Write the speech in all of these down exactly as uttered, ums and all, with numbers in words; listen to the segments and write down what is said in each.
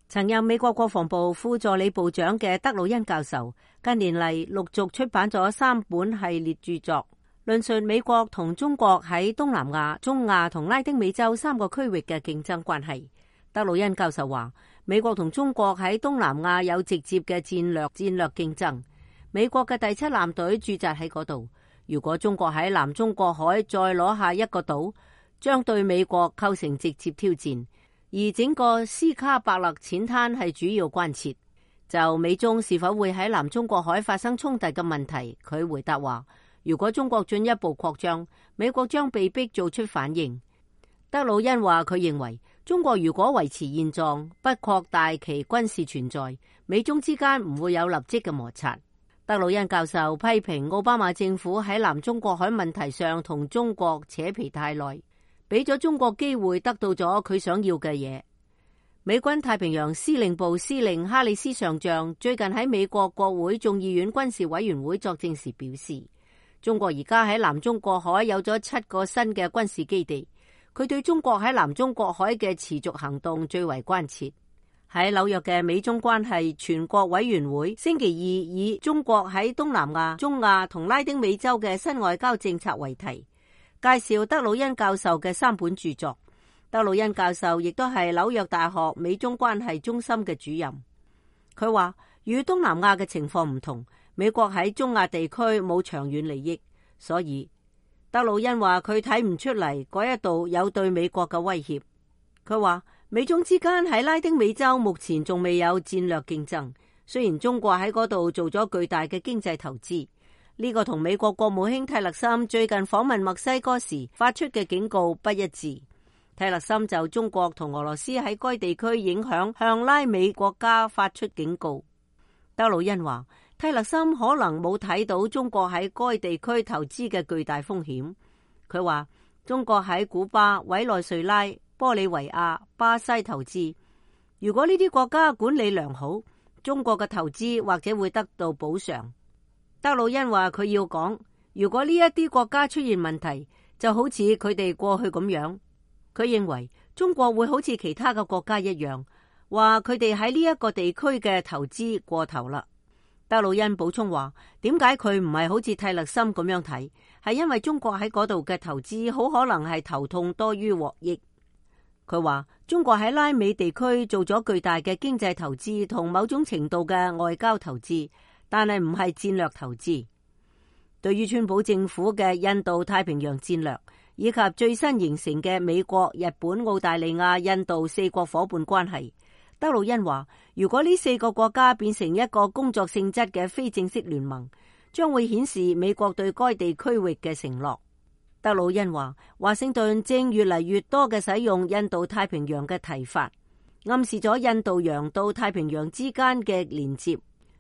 曾任美國國防部副助理部長嘅德魯恩教授，近年嚟陸續出版咗三本系列著作，論述美國同中國喺東南亞、中亞同拉丁美洲三個區域嘅競爭關係。德魯恩教授話，美國同中國喺東南亞有直接嘅戰略戰略競爭，美國嘅第七艦隊駐紮喺嗰度。如果中國喺南中國海再攞下一個島，將對美國構成直接挑戰。而整個斯卡伯勒淺灘係主要關切。就美中是否會喺南中國海發生衝突嘅問題，佢回答話，如果中國進一步擴張，美國將被逼做出反應。德魯恩話，佢認為中國如果維持現狀，不擴大其軍事存在，美中之間唔會有立即嘅摩擦。德魯恩教授批評奧巴馬政府喺南中國海問題上同中國扯皮太耐，俾咗中國機會得到咗佢想要嘅嘢。美軍太平洋司令部司令哈里斯上將最近喺美國國會眾議院軍事委員會作證時表示，中國而家喺南中國海有咗七個新嘅軍事基地，佢對中國喺南中國海嘅持續行動最為關切。喺紐約嘅美中關係全國委員會星期二以中國喺東南亞、中亞同拉丁美洲嘅新外交政策為題，介紹德魯恩教授嘅三本著作。德魯恩教授亦都係紐約大學美中關係中心嘅主任。佢話，與東南亞嘅情況唔同，美國喺中亞地區冇長遠利益，所以德魯恩話佢睇唔出嚟嗰一度有對美國嘅威脅。佢話，美中之間喺拉丁美洲目前仲未有戰略競爭，雖然中國喺嗰度做咗巨大嘅經濟投資，呢個同美國國務卿蒂勒森最近訪問墨西哥時發出嘅警告不一致。蒂勒森就中國同俄羅斯喺該地區影響向拉美國家發出警告。德魯恩話，蒂勒森可能冇睇到中國喺該地區投資嘅巨大風險。佢話，中國喺古巴、委內瑞拉、玻利維亞、巴西投資，如果呢啲國家管理良好，中國嘅投資或者會得到補償。德魯恩話，佢要講，如果呢一啲國家出現問題，就好似佢哋過去咁樣。佢認為中國會好似其他嘅國家一樣，話佢哋喺呢一個地區嘅投資過頭啦。德魯恩補充話，點解佢唔係好似蒂勒森咁樣睇？係因為中國喺嗰度嘅投資好可能係頭痛多於獲益。佢話中國喺拉美地區做咗巨大嘅經濟投資同某種程度嘅外交投資，但係唔係戰略投資。對於川普政府嘅印度太平洋戰略，以及最新形成嘅美國、日本、澳大利亞、印度四國夥伴關係，德魯恩話，如果呢四個國家變成一個工作性質嘅非正式聯盟，將會顯示美國對該地區域嘅承諾。德魯恩話，華盛頓正越嚟越多嘅使用印度太平洋嘅提法，暗示咗印度洋到太平洋之間嘅連接。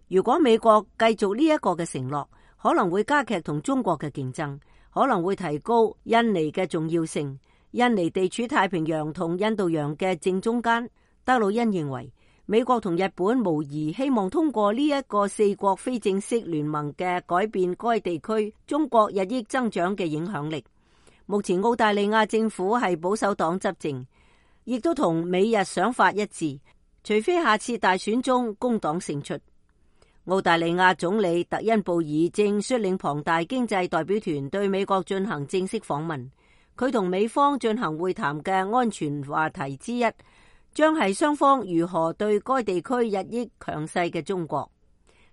如果美國繼續呢一個嘅承諾，可能會加劇同中國嘅競爭，可能會提高印尼嘅重要性。印尼地處太平洋同印度洋嘅正中間。德魯恩認為，美國同日本無疑希望通過呢一個四國非正式聯盟嘅改變該地區中國日益增長嘅影響力。目前澳大利亞政府係保守黨執政，亦都同美日想法一致，除非下次大選中工黨勝出。澳大利亞總理特恩布爾正率領龐大經濟代表團對美國進行正式訪問。佢同美方進行會談嘅安全話題之一，將係雙方如何對該地區日益強勢嘅中國。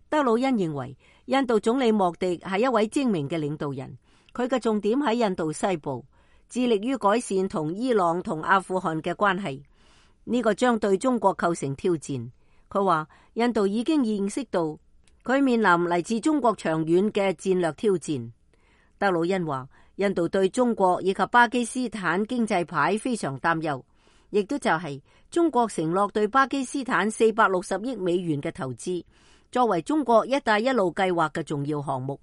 德魯恩認為，印度總理莫迪係一位精明嘅領導人，佢嘅重點喺印度西部，致力於改善同伊朗同阿富汗嘅關係。呢個將對中國構成挑戰。佢話，印度已經認識到佢面臨嚟自中國長遠嘅戰略挑戰。德魯恩話，印度對中國以及巴基斯坦經濟牌非常擔憂，亦都就係中國承諾對巴基斯坦四百六十億美元嘅投資，作為中國一帶一路計劃嘅重要項目，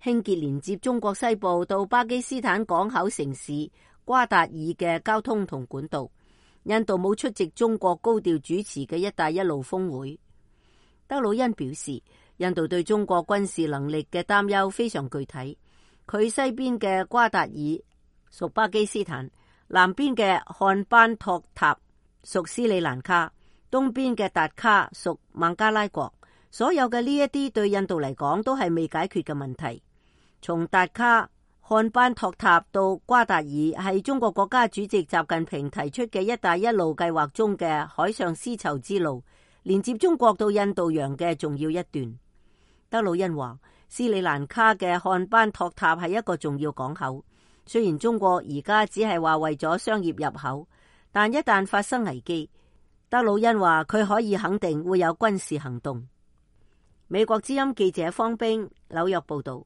興建連接中國西部到巴基斯坦港口城市瓜達爾嘅交通同管道。印度冇出席中國高調主持嘅一帶一路峰會。德魯恩表示，印度對中國軍事能力嘅擔憂非常具體。佢西邊嘅瓜達爾屬巴基斯坦，南邊嘅漢班托塔屬斯里蘭卡，東邊嘅達卡屬孟加拉國。所有嘅呢一啲對印度嚟講都係未解決嘅問題。從達卡、漢班托塔到瓜達爾，係中國國家主席習近平提出嘅一帶一路計劃中嘅海上絲綢之路，連接中國到印度洋嘅重要一段。德魯恩話，斯里蘭卡嘅漢班托塔係一個重要港口，雖然中國而家只係話為咗商業入口，但一旦發生危機，德魯恩話佢可以肯定會有軍事行動。美國之音記者方冰紐約報道。